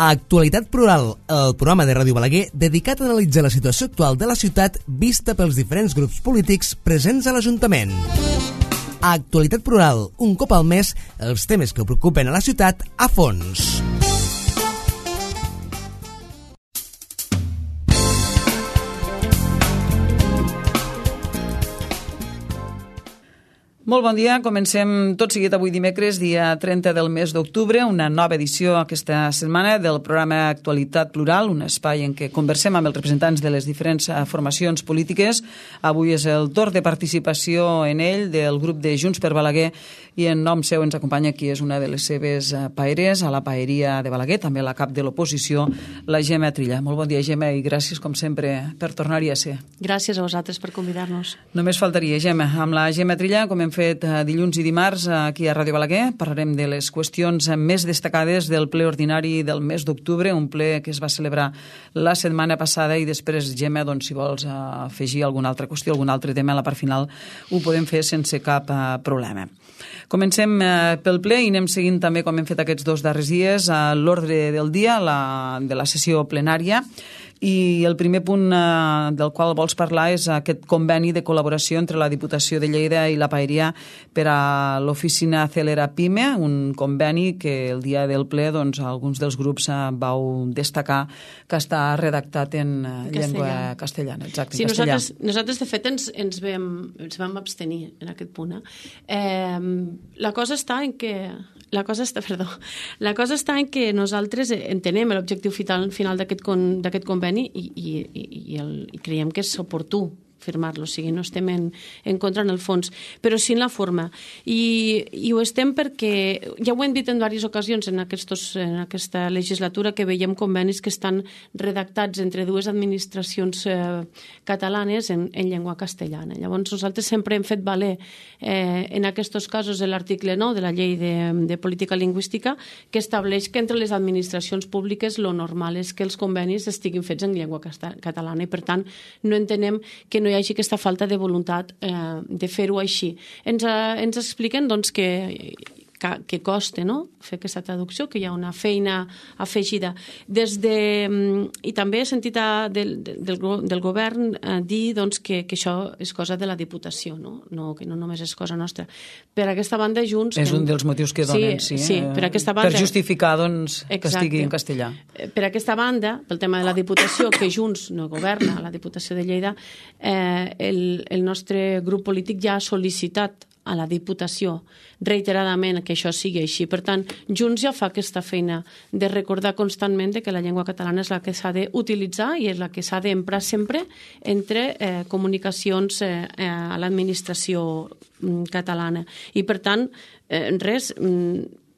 Actualitat Plural, el programa de Ràdio Balaguer dedicat a analitzar la situació actual de la ciutat vista pels diferents grups polítics presents a l'Ajuntament. Actualitat Plural, un cop al mes, els temes que preocupen a la ciutat a fons. Molt bon dia, comencem tot seguit avui dimecres, dia 30 del mes d'octubre, una nova edició aquesta setmana del programa Actualitat Plural, un espai en què conversem amb els representants de les diferents formacions polítiques. Avui és el torn de participació en ell del grup de Junts per Balaguer i en nom seu ens acompanya qui és una de les seves paeres a la paeria de Balaguer, també la cap de l'oposició, la Gemma Trilla. Molt bon dia, Gemma, i gràcies, com sempre, per tornar-hi a ser. Gràcies a vosaltres per convidar-nos. Només faltaria, Gemma. Amb la Gemma Trilla, com hem fet dilluns i dimarts aquí a Ràdio Balaguer, parlarem de les qüestions més destacades del ple ordinari del mes d'octubre, un ple que es va celebrar la setmana passada i després, Gemma, doncs, si vols afegir alguna altra qüestió, algun altre tema a la part final, ho podem fer sense cap problema. Comencem pel ple i anem seguint també, com hem fet aquests dos darrers dies, l'ordre del dia de la sessió plenària. I el primer punt del qual vols parlar és aquest conveni de col·laboració entre la Diputació de Lleida i la Paeria per a l'oficina Celera Pime, un conveni que el dia del ple doncs, alguns dels grups vau destacar que està redactat en llengua castellana. Exacte, sí, en castellà. Nosaltres, de fet, ens vam abstenir en aquest punt. La cosa està en que nosaltres entenem l'objectiu final d'aquest conveni i creiem que és oportú firmar-lo, o sigui, no estem en contra en el fons, però sí en la forma. I ho estem perquè, ja ho hem dit en diverses ocasions en aquesta legislatura, que veiem convenis que estan redactats entre dues administracions catalanes en llengua castellana. Llavors, nosaltres sempre hem fet valer en aquests casos l'article 9 de la Llei de Política Lingüística, que estableix que entre les administracions públiques lo normal és que els convenis estiguin fets en llengua catalana i, per tant, no entenem que no hi hagi aquesta falta de voluntat de fer-ho així. Ens expliquen doncs, que costa, no?, fer aquesta traducció, que hi ha una feina afegida. I també he sentit del govern dir doncs, que això és cosa de la Diputació, que no només és cosa nostra. Per aquesta banda, Junts... És un dels motius que donen, sí, per aquesta banda, per justificar doncs, que estigui en castellà. Per aquesta banda, pel tema de la Diputació, que Junts no governa la Diputació de Lleida, el nostre grup polític ja ha sol·licitat a la Diputació reiteradament que això sigui així. Per tant, Junts ja fa aquesta feina de recordar constantment que la llengua catalana és la que s'ha d'utilitzar i és la que s'ha d'emprar sempre entre comunicacions a l'administració catalana. I, per tant,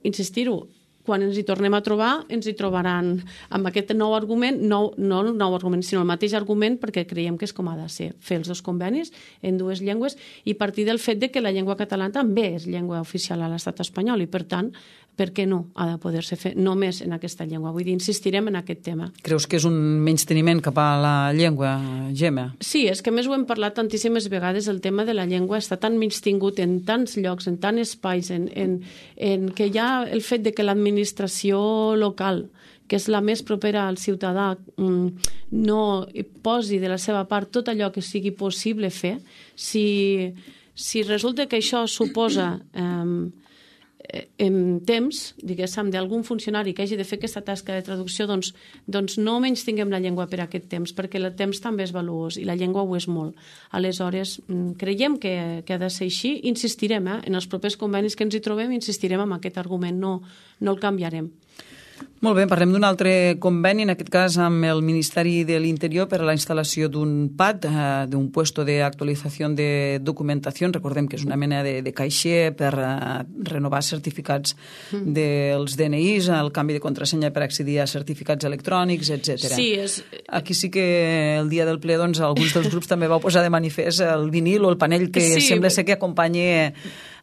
insistir-ho, quan ens hi tornem a trobar, ens hi trobaran amb aquest nou argument, no el nou argument, sinó el mateix argument, perquè creiem que és com ha de ser, fer els dos convenis en dues llengües i partir del fet de que la llengua catalana també és llengua oficial a l'estat espanyol i, per tant, per què no ha de poder-se fer només en aquesta llengua? Vull dir, insistirem en aquest tema. Creus que és un menysteniment cap a la llengua, Gemma? Sí, és que més ho hem parlat tantíssimes vegades, el tema de la llengua està tan menystingut en tants llocs, en tants espais, en que ja el fet de que l'administració local, que és la més propera al ciutadà, no posi de la seva part tot allò que sigui possible fer, si resulta que això suposa en temps, diguéssim, d'algun funcionari que hagi de fer aquesta tasca de traducció, doncs no menys tinguem la llengua per aquest temps, perquè el temps també és valuós i la llengua ho és molt. Aleshores, creiem que ha de ser així, insistirem en els propers convenis que ens hi trobem, insistirem en aquest argument, no el canviarem. Molt bé, parlem d'un altre conveni, en aquest cas amb el Ministeri de l'Interior per a la instal·lació d'un PAD, d'un puesto de actualització de documentació. Recordem que és una mena de caixer per renovar certificats dels DNIs, el canvi de contrasenya per accedir a certificats electrònics, etc. Sí, aquí sí que el dia del ple doncs, alguns dels grups també vau posar de manifest el vinil o el panell que sembla ser que acompanya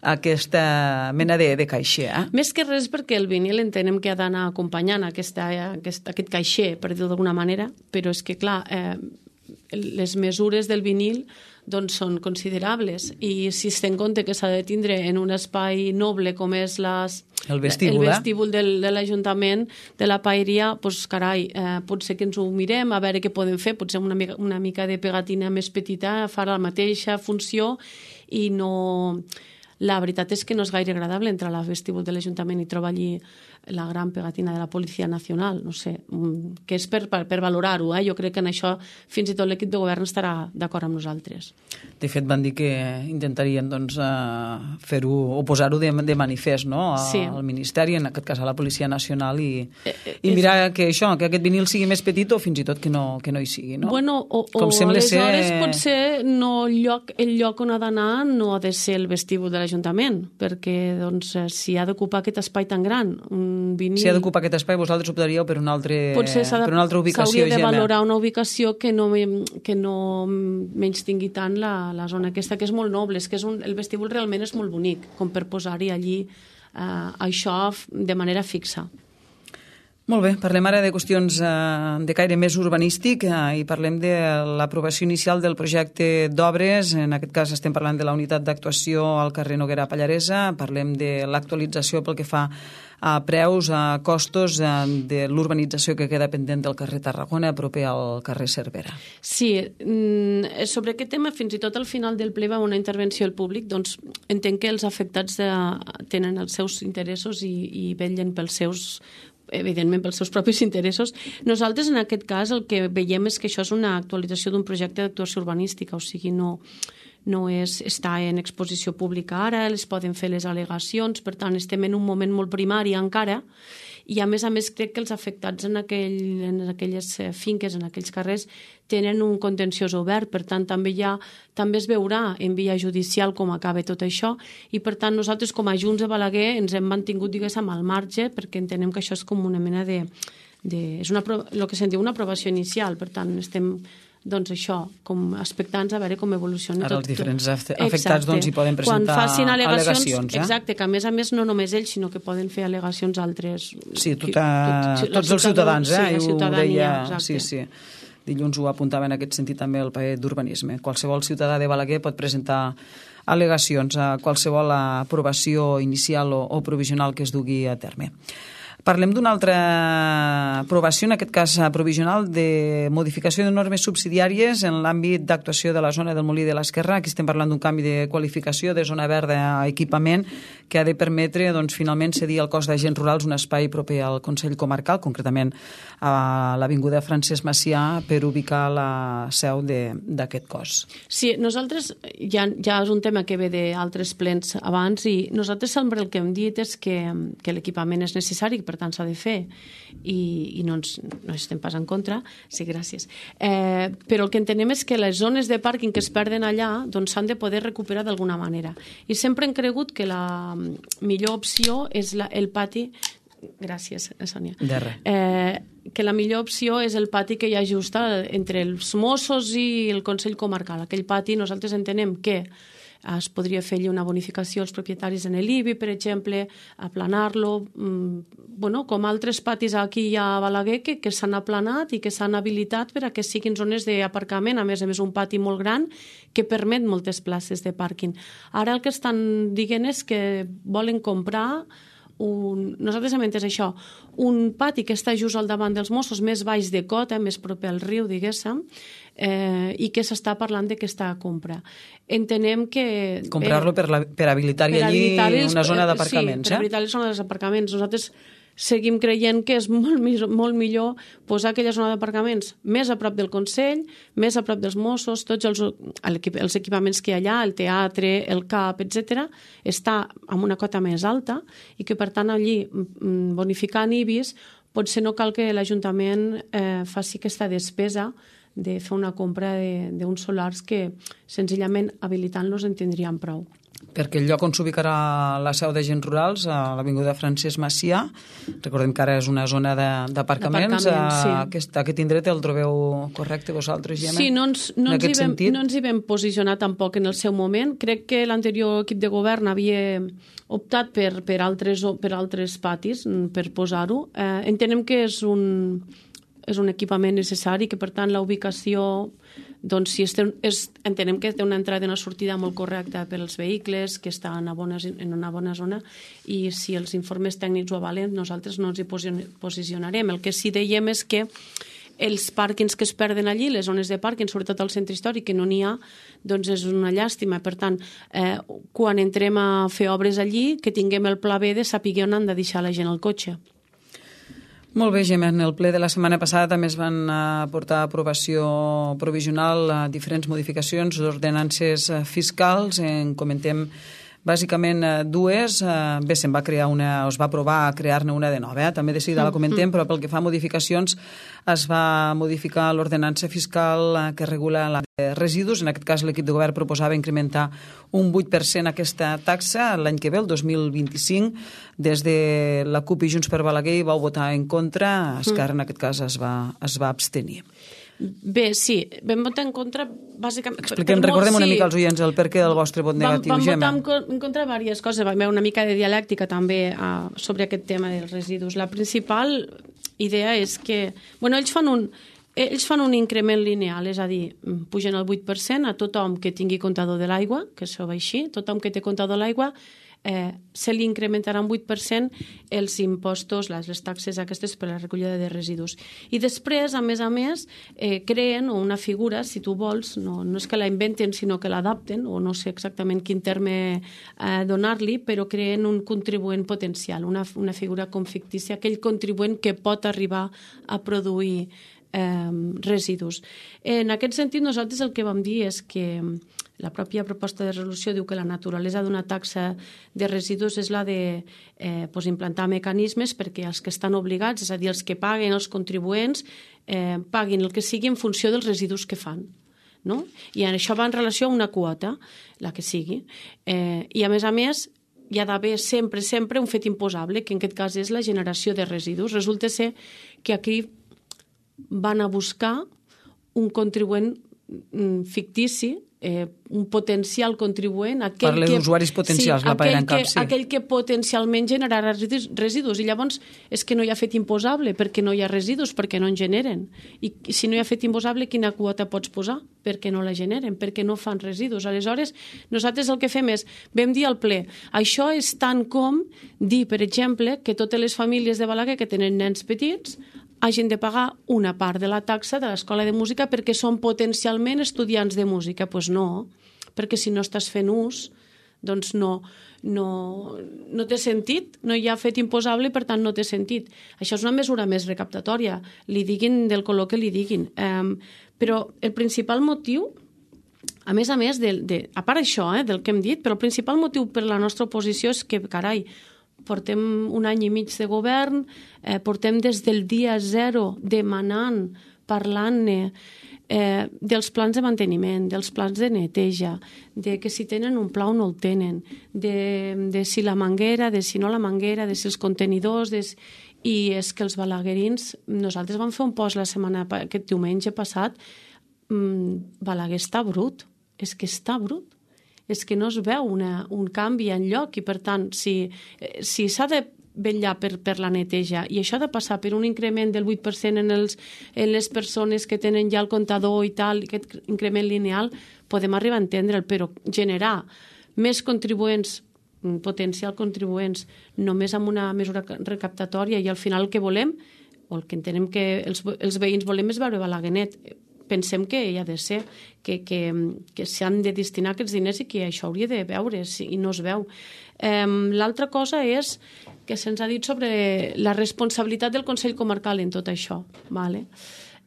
aquesta mena de caixer. Més que res perquè el vinil entenem que ha d'anar acompanyant aquest caixer, per dir-ho d'alguna manera, però és que, clar, les mesures del vinil doncs són considerables, i si es té en compte que s'ha de tindre en un espai noble com és el vestíbul de l'Ajuntament de la Paeria, doncs carai, potser que ens ho mirem, a veure què podem fer, potser una mica de pegatina més petita fa la mateixa funció, i no... La veritat és que no és gaire agradable entrar al vestíbul de l'Ajuntament i trobar allí la gran pegatina de la Policia Nacional, no sé, que és per valorar-ho, jo crec que en això fins i tot l'equip de govern estarà d'acord amb nosaltres. De fet, van dir que intentarien fer-ho o posar-ho de manifest, no? Al Ministeri, en aquest cas a la Policia Nacional, i mirar que aquest vinil sigui més petit o fins i tot que no hi sigui, no? Bueno, o aleshores potser el lloc on ha d'anar no ha de ser el vestíbul de l'Ajuntament, perquè si ha d'ocupar aquest espai tan gran, vinil... Si ha d'ocupar aquest espai, vosaltres optaríeu per una altra ubicació. S'hauria de valorar una ubicació que no menys tingui tant la zona aquesta, que és molt noble, és que el vestíbul realment és molt bonic, com per posar-hi allí això de manera fixa. Molt bé, parlem ara de qüestions de caire més urbanístic i parlem de l'aprovació inicial del projecte d'obres. En aquest cas estem parlant de la unitat d'actuació al carrer Noguera Pallaresa, parlem de l'actualització pel que fa a preus, a costos de l'urbanització que queda pendent del carrer Tarragona, proper al carrer Cervera. Sí, sobre aquest tema, fins i tot al final del ple va una intervenció al públic, doncs entenc que els afectats tenen els seus interessos i vetllen evidentment pels seus propis interessos. Nosaltres, en aquest cas, el que veiem és que això és una actualització d'un projecte d'actuació urbanística, o sigui, no està en exposició pública ara, es poden fer les al·legacions, per tant, estem en un moment molt primari encara, i a més crec que els afectats en aquelles finques, en aquells carrers, tenen un contenciós obert, per tant també es veurà en via judicial com acaba tot això, i per tant nosaltres com a Junts de Balaguer ens hem mantingut, diguéssim, al marge, perquè entenem que això és com una mena és el que se'n diu una aprovació inicial, per tant estem això, com expectants a veure com evoluciona tot. Ara els diferents afectats hi poden presentar al·legacions. Exacte, que a més no només ells, sinó que poden fer al·legacions altres... Sí, tots els ciutadans, ho deia. Sí. Dilluns ho apuntava en aquest sentit també el paper d'urbanisme. Qualsevol ciutadà de Balaguer pot presentar al·legacions a qualsevol aprovació inicial o provisional que es dugui a terme. Parlem d'una altra aprovació, en aquest cas provisional, de modificació de normes subsidiàries en l'àmbit d'actuació de la zona del Molí de l'Esquerrà. Aquí estem parlant d'un canvi de qualificació de zona verda a equipament que ha de permetre finalment cedir al cos d'agents rurals un espai proper al Consell Comarcal, concretament a l'Avinguda Francesc Macià, per ubicar la seu d'aquest cos. Sí, nosaltres, ja és un tema que ve d'altres plens abans, i nosaltres sempre el que hem dit és que l'equipament és necessari, per tant s'ha de fer, i no estem pas en contra, sí, gràcies. Però el que entenem és que les zones de pàrquing que es perden allà s'han de poder recuperar d'alguna manera. I sempre hem cregut que la millor opció és el pati. Gràcies, Sònia. De res. Que la millor opció és el pati que hi ha just entre els Mossos i el Consell Comarcal. Aquell pati nosaltres entenem que es podria fer una bonificació als propietaris en l'IBI, per exemple, aplanar-lo, com altres patis aquí a Balaguer que s'han aplanat i que s'han habilitat per a que siguin zones d'aparcament, a més un pati molt gran que permet moltes places de pàrquing. Ara el que estan dient és que volen comprar nosaltres hem entès això, un pati que està just al davant dels Mossos, més baix de cota, més proper al riu, diguéssim, i que s'està parlant d'aquesta compra. Entenem que... Comprar-lo per habilitar-hi allí una zona d'aparcaments, per habilitar les zones d'aparcaments. Nosaltres seguim creient que és molt millor posar aquella zona d'aparcaments més a prop del Consell, més a prop dels Mossos, tots els equipaments que hi ha allà, el teatre, el CAP, etc., està amb una cota més alta i que, per tant, allí, bonificant IBIs, potser no cal que l'Ajuntament faci aquesta despesa de fer una compra d'uns solars que, senzillament, habilitant-los en tindríem prou. Perquè el lloc on s'ubicarà la seu d'agents rurals, a l'Avinguda Francesc Macià, recordem que ara és una zona d'aparcaments, sí. Aquest indret el trobeu correcte vosaltres, Gemma? Sí, no ens hi vam posicionar tampoc en el seu moment. Crec que l'anterior equip de govern havia optat per altres patis, per posar-ho. Entenem que és un equipament necessari, que per tant la ubicació doncs si entenem que té una entrada i una sortida molt correcta per als vehicles, que està en una bona zona, i si els informes tècnics ho avalen, nosaltres no ens hi posicionarem. El que sí dèiem és que els pàrquings que es perden allí, les zones de pàrquing, sobretot al centre històric, que no n'hi ha, doncs és una llàstima. Per tant, quan entrem a fer obres allí, que tinguem el pla B de saber on han de deixar la gent el cotxe. Molt bé, Gemma. En el ple de la setmana passada també es van portar a aprovació provisional diferents modificacions d'ordenances fiscals. En comentem bàsicament dues. Bé, se'n va crear una, es va aprovar a crear-ne una de nova. També de seguida la comentem, però pel que fa a modificacions es va modificar l'ordenança fiscal que regula la de residus. En aquest cas l'equip de govern proposava incrementar un 8% aquesta taxa l'any que ve, el 2025. Des de la CUP i Junts per Balaguer hi vau votar en contra. Esquerra en aquest cas es va abstenir. Bé, sí, vam votar en contra bàsicament... Recordem una mica als oients el perquè del vostre vot negatiu, Gemma. Vam votar en contra diverses coses, vam veure una mica de dialèctica també sobre aquest tema dels residus. La principal idea és que... Bueno, ells fan un increment lineal, és a dir, pugen el 8% a tothom que tingui comptador de l'aigua, que això va així, tothom que té comptador de l'aigua, se li incrementarà un 8% els impostos, les taxes aquestes per la recollida de residus. I després, a més, creen una figura, si tu vols, no és que la inventen, sinó que l'adapten, o no sé exactament quin terme donar-li, però creen un contribuent potencial, una figura com fictícia, aquell contribuent que pot arribar a produir residus. En aquest sentit, nosaltres el que vam dir és que la pròpia proposta de resolució diu que la naturalesa d'una taxa de residus és la de implantar mecanismes perquè els que estan obligats, és a dir, els que paguen, els contribuents, paguin el que sigui en funció dels residus que fan. No? I això va en relació a una quota, la que sigui. I a més, hi ha d'haver sempre un fet imposable, que en aquest cas és la generació de residus. Resulta ser que aquí van a buscar un contribuent fictici, un potencial contribuent, parle d'usuaris potencials, la paella en cap, sí. Aquell que potencialment generarà residus, i llavors és que no hi ha fet imposable perquè no hi ha residus, perquè no en generen, i si no hi ha fet imposable, quina quota pots posar? Perquè no la generen, perquè no fan residus. Aleshores, nosaltres el que fem és, vam dir al ple, això és tant com dir, per exemple, que totes les famílies de Balaguer que tenen nens petits hagin de pagar una part de la taxa de l'escola de música perquè són potencialment estudiants de música. Doncs no, perquè si no estàs fent ús, doncs no té sentit, no hi ha fet imposable i per tant no té sentit. Això és una mesura més recaptatòria, li diguin del color que li diguin. Però el principal motiu, a més, a part això del que hem dit, però el principal motiu per la nostra oposició és que, carai, portem un any i mig de govern, portem des del dia 0 demanant, parlant-ne dels plans de manteniment, dels plans de neteja, de que si tenen un pla o no el tenen, de si la manguera, de si no la manguera, de si els contenidors... I és que els balaguerins, nosaltres vam fer un post aquest diumenge passat, Balaguer està brut, és que està brut. És que no es veu un canvi enlloc i, per tant, si s'ha de vetllar per la neteja i això ha de passar per un increment del 8% en les persones que tenen ja el comptador i tal, aquest increment lineal, podem arribar a entendre'l, però generar més contribuents, potencial contribuents, només amb una mesura recaptatòria i al final el que volem, o el que entenem que els veïns volem és veure Balaguer net. Pensem que hi ha de ser, que s'han de destinar aquests diners i que això hauria de veure's i no es veu. L'altra cosa és que se'ns ha dit sobre la responsabilitat del Consell Comarcal en tot això. Vale?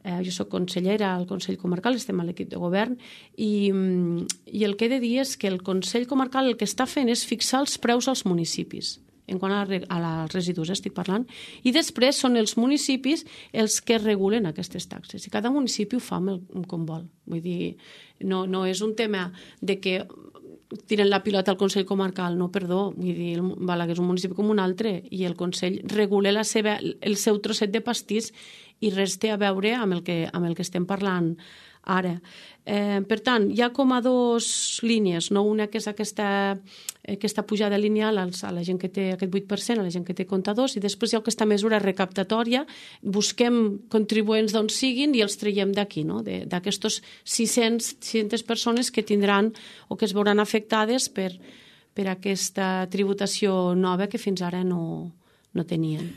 Jo soc consellera al Consell Comarcal, estem a l'equip de govern, i el que he de dir és que el Consell Comarcal el que està fent és fixar els preus als municipis, en quant als residus estic parlant, i després són els municipis els que regulen aquestes taxes, i cada municipi ho fa com vol. Vull dir, no és un tema de que tiren la pilota al Consell Comarcal, no, perdó, vull dir, Balaguer és un municipi com un altre, i el Consell regula el seu trosset de pastís i res té a veure amb el que estem parlant ara. Per tant, hi ha com a dues línies, no? Una que és aquesta pujada lineal a la gent que té aquest 8%, a la gent que té comptadors, i després hi ha aquesta mesura recaptatòria, busquem contribuents d'on siguin i els traiem d'aquí, no? D'aquestos 600 persones que tindran o que es veuran afectades per aquesta tributació nova que fins ara no tenien.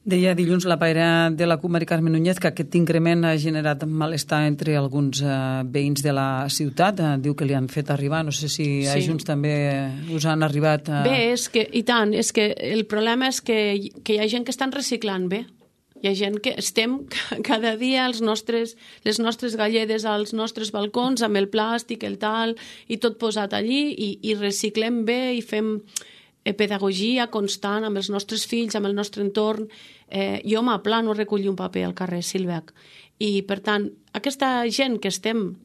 Deia dilluns la paira de la CUP, Mari Carmen Núñez, que aquest increment ha generat malestar entre alguns veïns de la ciutat. Diu que li han fet arribar, no sé si a Junts també us han arribat... Bé, i tant, és que el problema és que hi ha gent que estan reciclant bé. Hi ha gent que estem cada dia les nostres galledes als nostres balcons amb el plàstic, el tal, i tot posat allí, i reciclem bé i fem pedagogia constant amb els nostres fills, amb el nostre entorn. Jo m'aplano a recollir un paper al carrer Silvec. I, per tant, aquesta gent que estem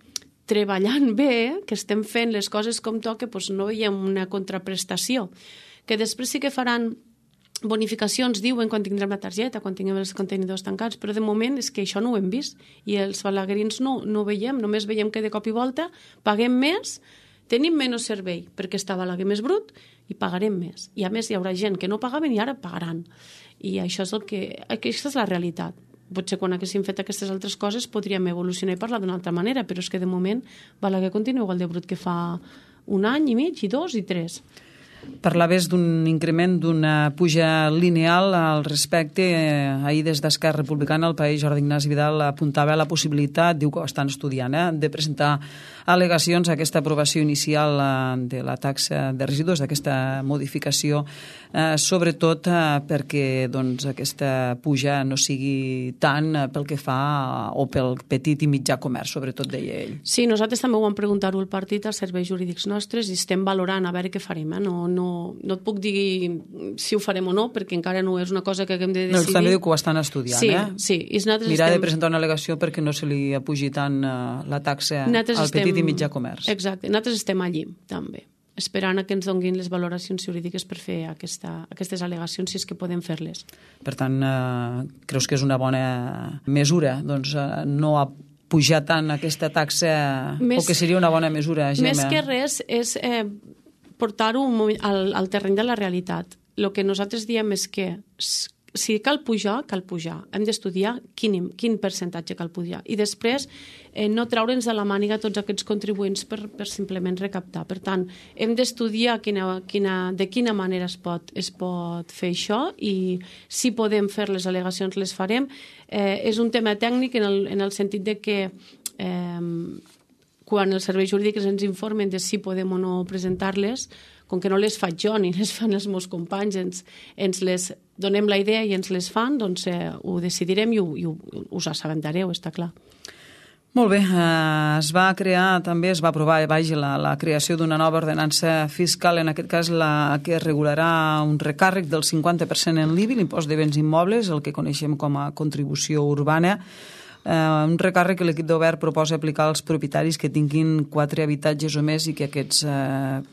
treballant bé, que estem fent les coses com toca, doncs no veiem una contraprestació. Que després sí que faran bonificacions, diuen, quan tindrem la targeta, quan tinguem els contenidors tancats, però de moment és que això no ho hem vist. I els balaguerins no ho veiem, només veiem que de cop i volta paguem més, tenim menys servei perquè està Balaguer més brut i pagarem més. I a més hi haurà gent que no pagaven i ara pagaran. I això és aquesta és la realitat. Potser quan haguéssim fet aquestes altres coses podríem evolucionar i parlar d'una altra manera, però és que de moment Balaguer continua igual de brut que fa 1 any i mig, i 2 i 3. Parlaves d'un increment, d'una puja lineal al respecte. Ahir des d'Esquerra Republicana el país Jordi Ignasi Vidal apuntava a la possibilitat, diu que ho estan estudiant, de presentar al·legacions a aquesta aprovació inicial de la taxa de residus, d'aquesta modificació, sobretot perquè aquesta puja no sigui tant pel que fa o pel petit i mitjà comerç, sobretot deia ell. Sí, nosaltres també ho vam preguntar-ho al partit, als serveis jurídics nostres, i estem valorant a veure què farem. No et puc dir si ho farem o no, perquè encara no és una cosa que haguem de decidir. No, també diu que ho estan estudiant, Sí. Mirar de presentar una al·legació perquè no se li apugi tant la taxa al petit i mitjà comerç. Exacte, nosaltres estem allí, també, esperant que ens donguin les valoracions jurídiques per fer aquestes al·legacions, si és que podem fer-les. Per tant, creus que és una bona mesura, no pujar tant aquesta taxa, o que seria una bona mesura, Gemma? Més que res és portar-ho al terreny de la realitat. El que nosaltres diem és que si cal pujar, cal pujar. Hem d'estudiar quin percentatge cal pujar. I després no treure'ns de la màniga tots aquests contribuents per simplement recaptar. Per tant, hem d'estudiar de quina manera es pot fer això, i si podem fer les al·legacions les farem. És un tema tècnic en el sentit de que quan els serveis jurídics ens informen de si podem o no presentar-les, com que no les faig jo ni les fan els meus companys, ens les donem la idea i ens les fan, doncs ho decidirem i us assabentareu, està clar. Molt bé, es va aprovar la creació d'una nova ordenança fiscal, en aquest cas la que regularà un recàrrec del 50% en l'IBI, l'impost de béns immobles, el que coneixem com a contribució urbana, un recàrrec que l'equip de govern proposa aplicar als propietaris que tinguin 4 habitatges o més i que aquests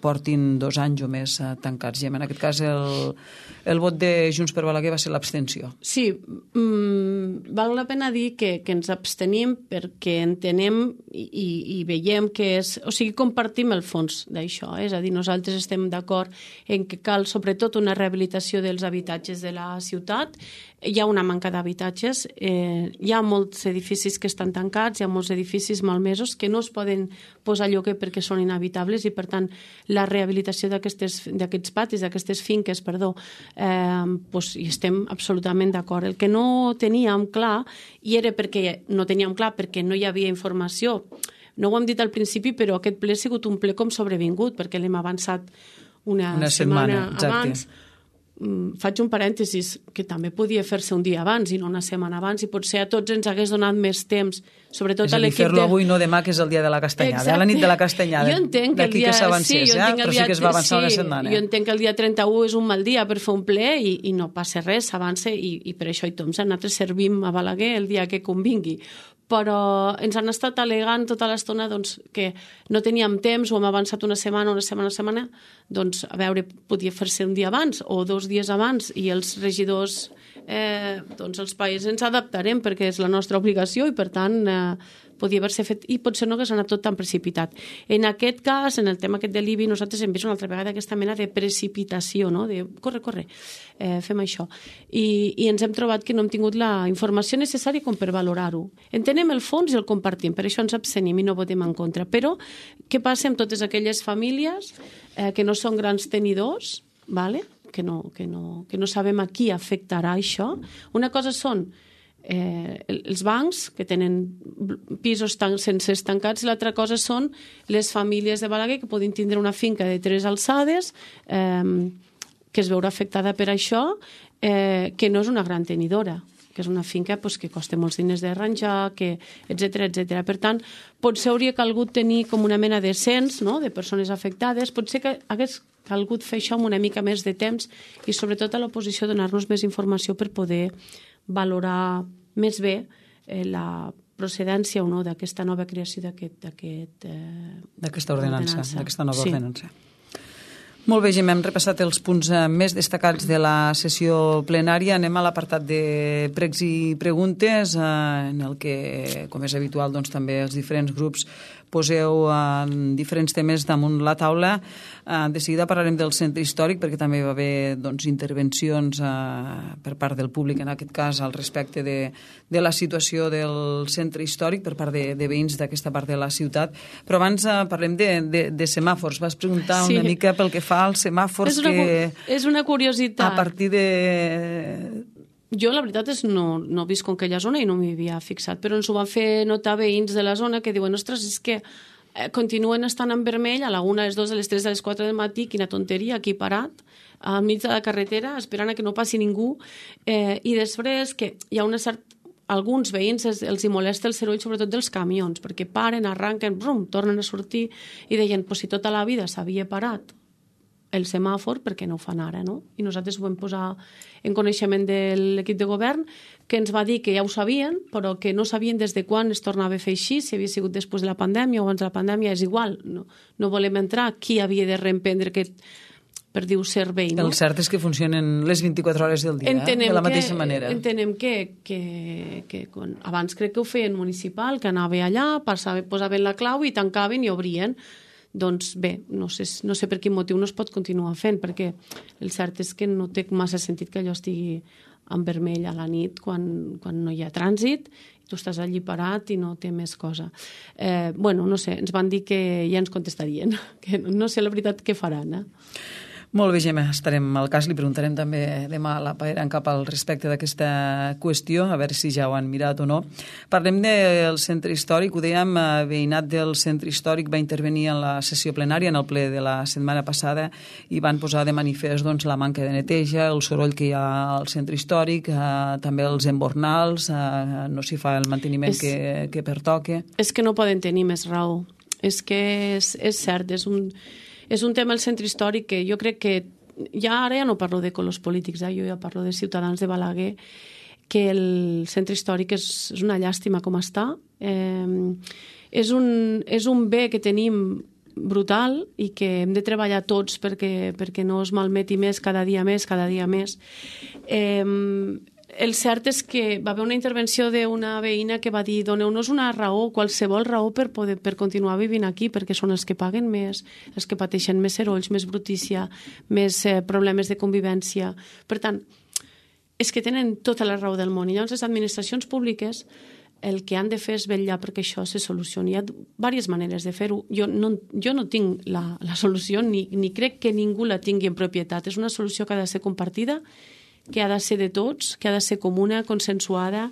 portin 2 anys o més tancats. I en aquest cas el vot de Junts per Balaguer va ser l'abstenció. Sí, val la pena dir que ens abstenim perquè entenem i veiem que és... O sigui, compartim el fons d'això, és a dir, nosaltres estem d'acord en que cal sobretot una rehabilitació dels habitatges de la ciutat. Hi ha una manca d'habitatges, hi ha molts edificis que estan tancats, hi ha molts edificis malmesos que no es poden posar a lloguer perquè són inhabitables, i per tant la rehabilitació d'aquests patis, d'aquestes finques, hi estem absolutament d'acord. El que no teníem clar, i era perquè no teníem clar perquè no hi havia informació, no ho hem dit al principi, però aquest ple ha sigut un ple com sobrevingut, perquè l'hem avançat una setmana abans. Faig un parèntesis, que també podia fer-se un dia abans i no una setmana abans, i potser a tots ens hagués donat més temps, sobretot a l'equip de... fer-lo avui, no demà, que és el dia de la castanyada, la nit de la castanyada, d'aquí que s'avancés, però sí que es va avançar una setmana. Jo entenc que el dia 31 és un mal dia per fer un ple i no passa res, s'avança, i per això hi som. Nosaltres servim a Balaguer el dia que convingui, però ens han estat al·legant tota l'estona que no teníem temps, ho hem avançat una setmana, doncs a veure, podia fer-se un dia abans o 2 dies abans, i els regidors doncs els països ens adaptarem perquè és la nostra obligació i per tant podia haver-se fet i potser no hagués anat tot tan precipitat. En aquest cas, en el tema aquest de l'IBI, nosaltres hem vist una altra vegada aquesta mena de precipitació, no? De corre, fem això. I ens hem trobat que no hem tingut la informació necessària com per valorar-ho. Entenem el fons i el compartim, per això ens abstenim i no votem en contra. Però què passa amb totes aquelles famílies que no són grans tenidors, ¿vale? que no sabem a qui afectarà això? Una cosa són els bancs que tenen pisos sense estancats i l'altra cosa són les famílies de Balaguer que poden tindre una finca de 3 alçades que es veurà afectada per això, que no és una gran tenidora, que és una finca que costa molts diners d'arranjar, etc. Per tant, potser hauria calgut tenir com una mena de cens, no?, de persones afectades, potser que hagués calgut fer això amb una mica més de temps i sobretot a l'oposició donar-nos més informació per poder valorar més bé la procedència o no d'aquesta nova creació d'aquesta ordenança, d'aquesta nova ordenança. Molt bé, Gemma, hem repassat els punts més destacats de la sessió plenària. Anem a l'apartat de pregs i preguntes, en el que, com és habitual, doncs, també els diferents grups poseu diferents temes damunt la taula. De seguida parlarem del centre històric, perquè també va haver intervencions per part del públic, en aquest cas, al respecte de la situació del centre històric per part de veïns d'aquesta part de la ciutat. Però abans parlem de semàfors. Vas preguntar una mica pel que fa als semàfors és una curiositat. A partir de... Jo, la veritat és, no visc en aquella zona i no m'hi havia fixat, però ens ho van fer notar veïns de la zona que diuen, ostres, és que continuen estant en vermell a la 1, a les 2, a les 3, a les 4 del matí, quina tonteria, aquí parat, al mig de la carretera, esperant a que no passi ningú, i després que hi ha alguns veïns els hi molesta el soroll, sobretot dels camions, perquè paren, arranquen, brum, tornen a sortir, i deien, si tota la vida s'havia parat el semàfor, perquè no ho fan ara, no? I nosaltres ho vam posar en coneixement de l'equip de govern, que ens va dir que ja ho sabien, però que no sabien des de quan es tornava a fer així, si havia sigut després de la pandèmia o abans de la pandèmia, és igual. No volem entrar qui havia de reemprendre aquest, per dir-ho, servei. No? El cert és que funcionen les 24 hores del dia, de la mateixa manera. Entenem que abans crec que ho feien municipal, que anava allà, posaven la clau i tancaven i obrien. Doncs bé, no sé per quin motiu no es pot continuar fent, perquè el cert és que no té massa sentit que allò estigui en vermell a la nit quan no hi ha trànsit, tu estàs allí parat i no té més cosa. No sé, ens van dir que ja ens contestarien, que no sé la veritat què faran. Molt bé, Gemma, estarem al cas. Li preguntarem també demà a la Paera en cap al respecte d'aquesta qüestió, a veure si ja ho han mirat o no. Parlem del centre històric. Ho dèiem, veïnat del centre històric va intervenir en la sessió plenària, en el ple de la setmana passada, i van posar de manifest la manca de neteja, el soroll que hi ha al centre històric, també els embornals, no s'hi fa el manteniment que pertoca. És que no poden tenir més raó. És que és cert, és un tema del centre històric que jo crec que ara ja no parlo de colors polítics, jo ja parlo de ciutadans de Balaguer, que el centre històric és una llàstima com està. És un bé que tenim brutal i que hem de treballar tots perquè no es malmeti més cada dia més. El cert és que va haver una intervenció d'una veïna que va dir doneu-nos una raó, qualsevol raó per continuar vivint aquí, perquè són els que paguen més, els que pateixen més serolls, més brutícia, més problemes de convivència. Per tant, és que tenen tota la raó del món. I llavors les administracions públiques el que han de fer és vetllar perquè això se solucioni. Hi ha diverses maneres de fer-ho. Jo no tinc la solució, ni crec que ningú la tingui en propietat. És una solució que ha de ser compartida, que ha de ser de tots, que ha de ser comuna, consensuada,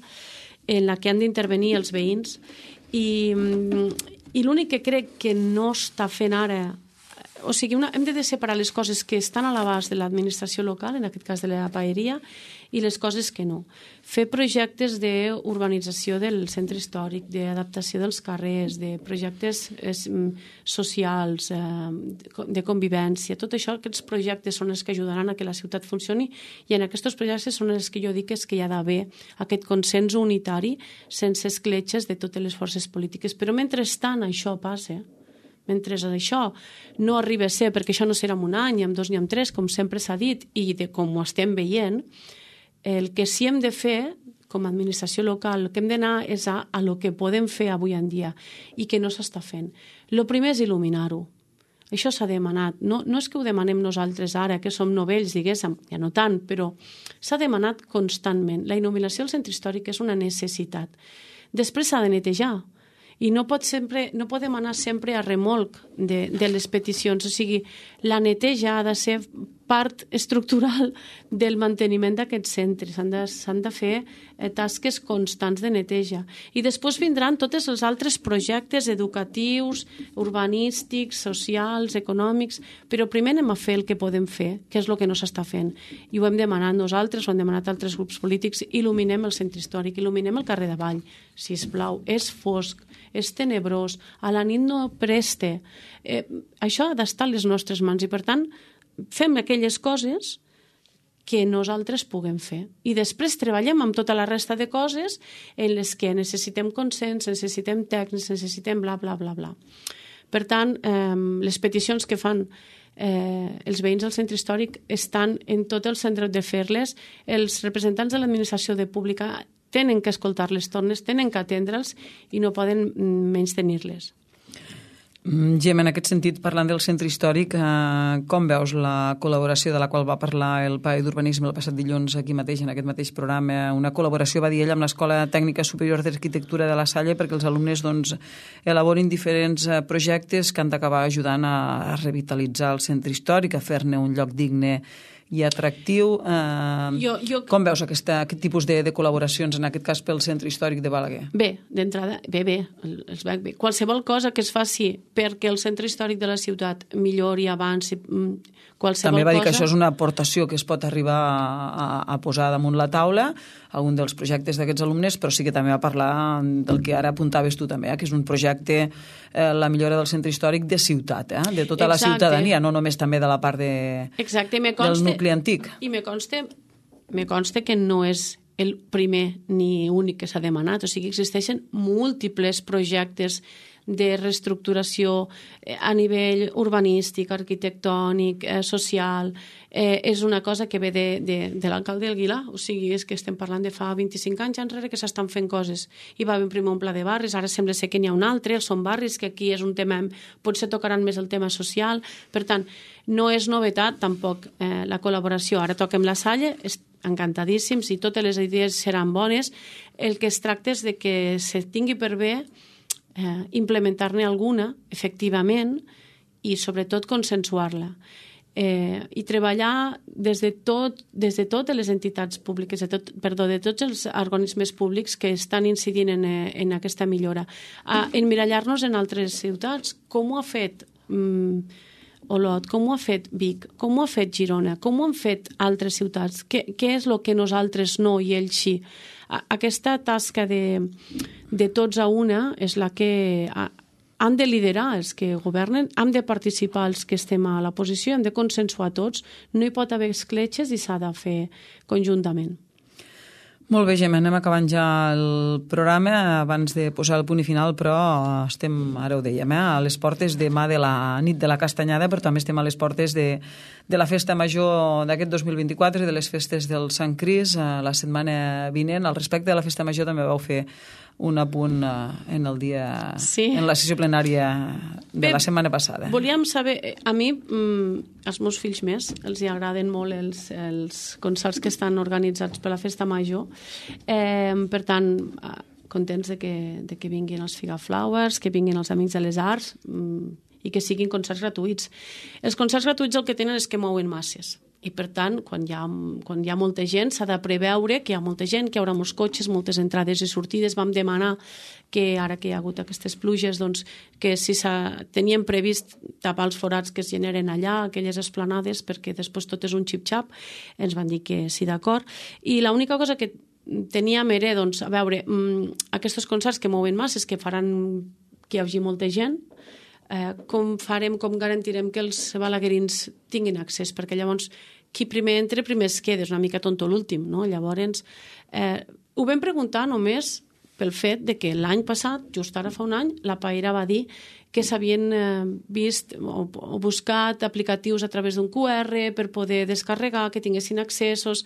en la que han d'intervenir els veïns. I l'únic que crec que no està fent ara... O sigui, hem de separar les coses que estan a l'abast de l'administració local, en aquest cas de la paeria, i les coses que no. Fer projectes d'urbanització del centre històric, d'adaptació dels carrers, de projectes socials, de convivència, tot això, aquests projectes són els que ajudaran a que la ciutat funcioni, i en aquests projectes són els que jo dic és que hi ha d'haver aquest consens unitari sense escletxes de totes les forces polítiques. Però mentrestant això passa, mentre això no arriba a ser, perquè això no serà en un any, ni en 2 ni en 3, com sempre s'ha dit, i com ho estem veient, el que sí hem de fer com a administració local, el que hem d'anar és a lo que podem fer avui en dia i que no s'està fent. El primer és il·luminar-ho. Això s'ha demanat. No és que ho demanem nosaltres ara, que som novells, diguéssim, ja no tant, però s'ha demanat constantment. La il·luminació al centre històric és una necessitat. Després s'ha de netejar. I no podem anar sempre a remolc de les peticions. O sigui, la neteja ha de ser part estructural del manteniment d'aquests centres. S'han de fer tasques constants de neteja. I després vindran tots els altres projectes educatius, urbanístics, socials, econòmics, però primer anem a fer el que podem fer, que és el que no s'està fent. I ho hem demanat nosaltres, ho han demanat altres grups polítics, il·luminem el centre històric, il·luminem el carrer d'Avall, sisplau, és fosc, és tenebrós, a la nit no preste. Això ha d'estar a les nostres mans i, per tant, fem aquelles coses que nosaltres puguem fer. I després treballem amb tota la resta de coses en les que necessitem consens, necessitem tècnics, necessitem bla, bla, bla, bla. Per tant, les peticions que fan els veïns del centre històric estan en tot el centre de fer-les. Els representants de l'administració pública tenen que escoltar-les tornes, tenen que atendre'ls i no poden menys tenir-les. Gemma, en aquest sentit, parlant del centre històric, com veus la col·laboració de la qual va parlar el PAE d'Urbanisme el passat dilluns aquí mateix, en aquest mateix programa? Una col·laboració, va dir ell, amb l'Escola Tècnica Superior d'Arquitectura de la Salle perquè els alumnes elaborin diferents projectes que han d'acabar ajudant a revitalitzar el centre històric, a fer-ne un lloc digne i atractiu. Com veus aquest tipus de col·laboracions, en aquest cas pel centre històric de Balaguer? Bé, d'entrada, bé. Qualsevol cosa que es faci perquè el centre històric de la ciutat millori, avanci, qualsevol També va dir cosa... que això és una aportació que es pot arribar a posar damunt la taula, algun dels projectes d'aquests alumnes, però sí que també va parlar del que ara apuntaves tu també, que és un projecte, la millora del centre històric de ciutat, de tota la ciutadania, no només també de la part del nucli antic. I me consta que no és el primer ni únic que s'ha demanat, o sigui, existeixen múltiples projectes de reestructuració a nivell urbanístic, arquitectònic, social. És una cosa que ve de l'alcalde d'Aguilar, o sigui, és que estem parlant de fa 25 anys enrere que s'estan fent coses. Hi va haver primer un pla de barris, ara sembla ser que n'hi ha un altre, els són barris, que aquí és un tema, potser tocaran més el tema social. Per tant, no és novetat tampoc la col·laboració. Ara toquem la Salle, encantadíssims, i totes les idees seran bones. El que es tracta és de que se tingui per bé implementar-ne alguna, efectivament, i sobretot consensuar-la. I treballar des de totes les entitats públiques, de tots els organismes públics que estan incidint en aquesta millora. Emmirallar-nos en altres ciutats. Com ho ha fet Olot, com ho ha fet Vic, com ho ha fet Girona, com ho han fet altres ciutats, què és el que nosaltres no i ells sí. Aquesta tasca de tots a una és la que han de liderar els que governen, hem de participar els que estem a la posició, hem de consensuar tots, no hi pot haver escletxes i s'ha de fer conjuntament. Molt bé, Gemma, anem acabant ja el programa abans de posar el punt i final, però estem, ara ho dèiem, a les portes demà de la nit de la Castanyada, però també estem a les portes de la festa major d'aquest 2024 i de les festes del Sant Cris la setmana vinent. Al respecte de la festa major també vau fer un apunt en el dia, en la sessió plenària de la setmana passada. Volíem saber, a mi, als meus fills més, els hi agraden molt els concerts que estan organitzats per la festa major. Per tant, contents de que vinguin els Figaflowers, que vinguin els Amics de les Arts i que siguin concerts gratuïts. Els concerts gratuïts el que tenen és que mouen masses. I, per tant, quan hi ha molta gent, s'ha de preveure que hi ha molta gent, que hi haurà molts cotxes, moltes entrades i sortides. Vam demanar que, ara que hi ha hagut aquestes pluges, doncs, que si teníem previst tapar els forats que es generen allà, aquelles esplanades, perquè després tot és un xip-xap, ens van dir que sí, d'acord. I l'única cosa que teníem era, doncs, a veure, aquests concerts que mouen masses, que faran que hi hagi molta gent, com garantirem que els balaguerins tinguin accés, perquè llavors qui primer entra, primer es queda, és una mica tonto l'últim, no? Llavors, ho vam preguntar només pel fet de que l'any passat, just ara fa un any, la Paera va dir que s'havien vist o buscat aplicatius a través d'un QR per poder descarregar, que tinguessin accessos,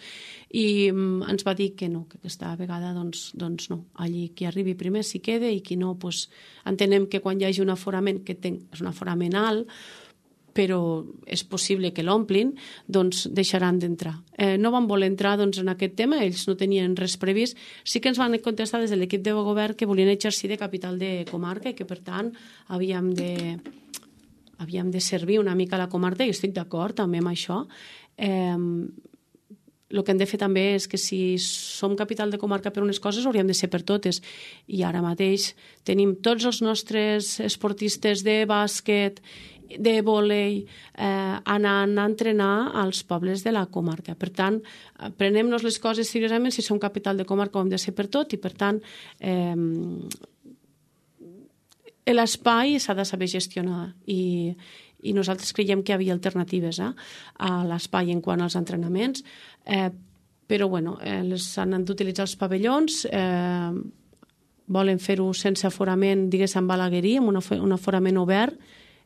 i ens va dir que no, que aquesta vegada doncs no. Allí qui arribi primer s'hi queda i qui no, entenem que quan hi hagi un aforament, que és un aforament alt, però és possible que l'omplin, doncs deixaran d'entrar. No van voler entrar en aquest tema, ells no tenien res previst. Sí que ens van contestar des de l'equip de govern que volien exercir de capital de comarca i que, per tant, havíem de servir una mica la comarca, i estic d'acord també amb això. El que hem de fer també és que si som capital de comarca per unes coses, hauríem de ser per totes. I ara mateix tenim tots els nostres esportistes de bàsquet, de vòlei, anant a entrenar als pobles de la comarca. Per tant, prenem-nos les coses seriosament. Si som capital de comarca ho hem de ser per tot, i per tant l'espai s'ha de saber gestionar, i nosaltres creiem que hi havia alternatives a l'espai en quant als entrenaments, però s'han d'utilitzar els pavellons, volen fer-ho sense aforament, diguéssim, en Balaguerí, amb un aforament obert,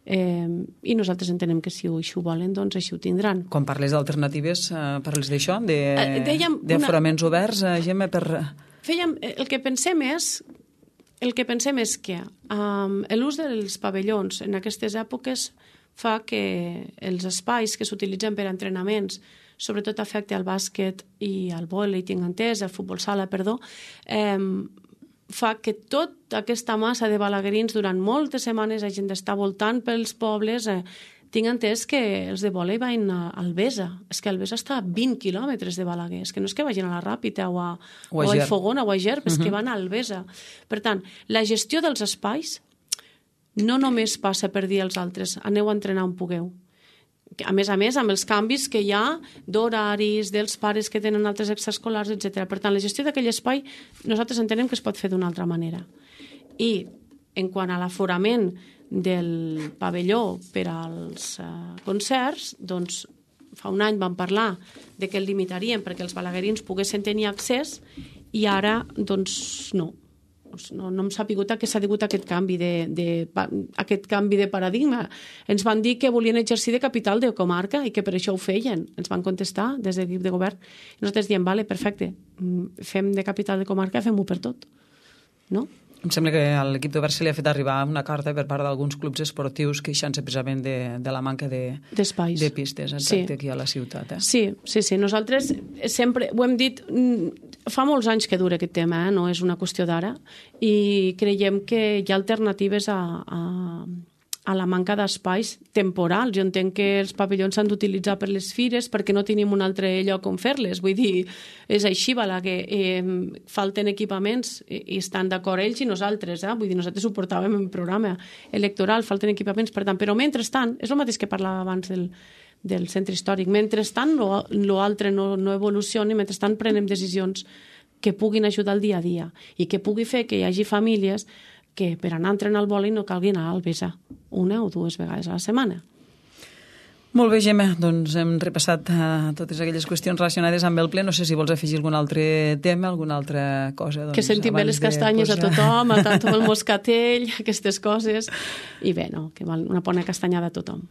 i nosaltres entenem que si ho volen, doncs així ho tindran. Quan parles d'alternatives, parles d'això, d'aforaments oberts, Gemma, El que pensem és que l'ús dels pavellons en aquestes èpoques fa que els espais que s'utilitzen per a entrenaments, sobretot afecta al bàsquet i al vòlei, tinc entès, al futbol sala, perdó, fa que tota aquesta massa de balaguerins durant moltes setmanes hagin d'estar voltant pels pobles. Tinc entès que els de vòlei van a Albesa. És que Albesa està a 20 quilòmetres de Balaguer. És que no és que vagin a la Ràpita o a Fogona o a Gerb, és que van a Albesa. Per tant, la gestió dels espais no només passa per dir als altres aneu a entrenar on pugueu. A més, amb els canvis que hi ha d'horaris, dels pares que tenen altres extraescolars, etc. Per tant, la gestió d'aquell espai nosaltres entenem que es pot fer d'una altra manera. I en quant a l'aforament del pavelló per als concerts, doncs fa un any vam parlar de que el limitaríem perquè els balaguerins poguessin tenir accés, i ara doncs no hem sapigut a què s'ha degut aquest canvi de paradigma. Ens van dir que volien exercir de capital de comarca i que per això ho feien. Ens van contestar des de l'equip de govern. I nosaltres diem, vale, perfecte, fem de capital de comarca, fem-ho per tot. No? Em sembla que a l'equip de govern se li ha fet arribar una carta per part d'alguns clubs esportius queixant-se precisament de la manca d'espais, de pistes, exacte, aquí a la ciutat. Sí. Nosaltres sempre ho hem dit, fa molts anys que dura aquest tema, no és una qüestió d'ara, i creiem que hi ha alternatives a la manca d'espais temporals. Jo entenc que els pavellons s'han d'utilitzar per les fires perquè no tenim un altre lloc on fer-les. Vull dir, és així, que falten equipaments, i estan d'acord ells i nosaltres. Vull dir, nosaltres ho portàvem en programa electoral, falten equipaments, per tant. Però mentrestant, és el mateix que parlava abans del centre històric, mentrestant l'altre no evolucioni, mentrestant prenem decisions que puguin ajudar el dia a dia i que pugui fer que hi hagi famílies que per anar a entrenar al vòlei no calgui anar a Albesa 1 o 2 vegades a la setmana. Molt bé, Gemma, doncs hem repassat totes aquelles qüestions relacionades amb el ple. No sé si vols afegir algun altre tema, alguna altra cosa. Que sentim bé les castanyes a tothom, a tant el moscatell, aquestes coses. I bé, que una bona castanyada a tothom.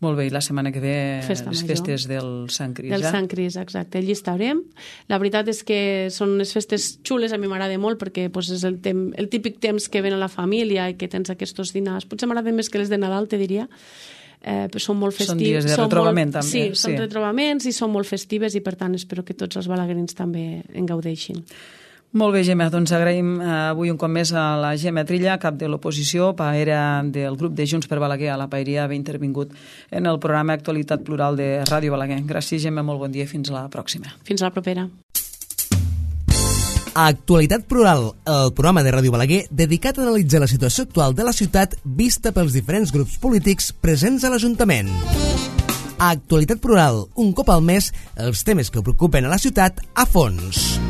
Molt bé, i la setmana que ve les festes del Sant Cris. Del Sant Cris, exacte. Allí estarem. La veritat és que són unes festes xules, a mi m'agrada molt, perquè és el típic temps que ven a la família i que tens aquests dinars. Potser m'agrada més que les de Nadal, te diria. Són molt festives. Són dies de retrobament, també. Sí, són retrobaments i són molt festives, i per tant espero que tots els balaguerins també en gaudeixin. Molt bé, Gemma, doncs agraïm avui un cop més a la Gemma Trilla, cap de l'oposició, paera del grup de Junts per Balaguer a la Paeria, haver intervingut en el programa Actualitat Plural de Ràdio Balaguer. Gràcies, Gemma, molt bon dia i fins a la pròxima. Fins a la propera. Actualitat Plural, el programa de Ràdio Balaguer dedicat a analitzar la situació actual de la ciutat vista pels diferents grups polítics presents a l'Ajuntament. Actualitat Plural, un cop al mes, els temes que preocupen a la ciutat a fons.